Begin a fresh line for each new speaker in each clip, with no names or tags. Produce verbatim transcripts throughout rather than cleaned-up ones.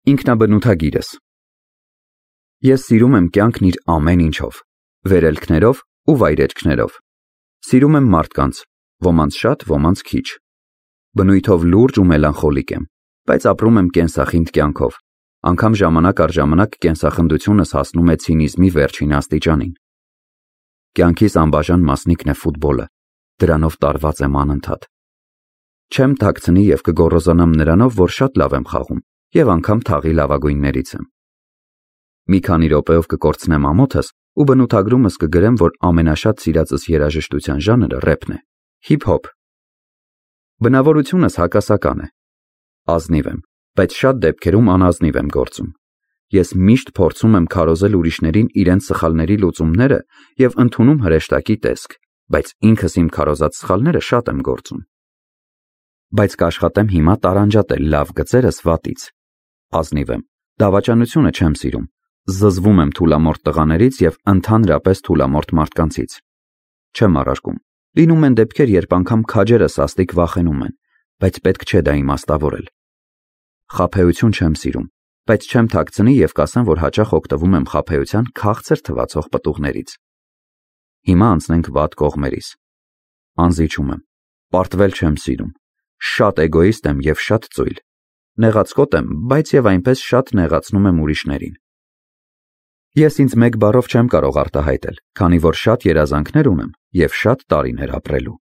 Ինքնաբնութագիրս։ Ես սիրում եմ կյանքն իր ամեն ինչով, վերելքներով ու վայրէջքներով։ Սիրում եմ մարդկանց, ոմանց շատ, ոմանց քիչ։ Բնույթով լուրջ ու մելանխոլիկ եմ, բայց ապրում եմ կենսախինդ կյանքով, անգամ ժամանակ առ ժամանակ կենսախնդությունս հասնում է ցինիզմի վերջին աստիճանին։ Կյանքիս անբաժան մասնիկն է ֆուտբոլը, դրանով տարված եմ անընդհատ։ Չեմ թաքցնի և կգոռոզանամ նրանով, որ շատ լավ եմ խաղում և անգամ թաղի լավագույններից եմ։ Մի քանի րոպեով կկորցնեմ ամոթս ու բնութագրումս կգրեմ, որ ամենաշատ սիրածս երաժշտության ժանրը ռեփն է, հիփ-հոփ։ Բնավորությունս հակասական է։ Ազնիվ եմ, բայց շատ դեպքերում անազնիվ եմ գործում։ Ես միշտ փորձում եմ քարոզել ուրիշներին իրենց սխալների լուծումները և ընդունում հրեշտակի տեսք, բայց ինքս իմ քարոզած սխալները շատ եմ գործում։ Բայց կաշխատեմ հիմա տարանջատել լավ գծերս վատից։ Ազնիվ եմ, դավաճանությունը չեմ սիրում, զզվում եմ թուլամորթ տղաներից և ընդհանրապես թուլամորթ մարդկանցից։ Չեմ առարկում, լինում են դեպքեր, երբ անգամ քաջերը սաստիկ վախենում են, բայց պետք չէ դա իմաստավորել։ Խաբեություն չեմ սիրում, բայց չեմ թաքցնի և կասեմ, որ հաճախ օգտվում եմ խաբեության քաղցր թվացող պտուղներից։ Հիմա անցնենք վատ կողմերիս։ Անզիջում եմ, պարտվել չեմ սիրում, շատ էգոիստ եմ և շատ ծույլ։ Նեղացկոտ եմ, բայց և այնպես շատ նեղացնում եմ ուրիշներին։ Ես ինձ մեկ բառով չեմ կարող արտահայտել, քանի որ շատ երազանքներ ունեմ և շատ տարիներ ապրելու։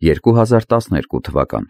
երկու հազար տասներկու թվական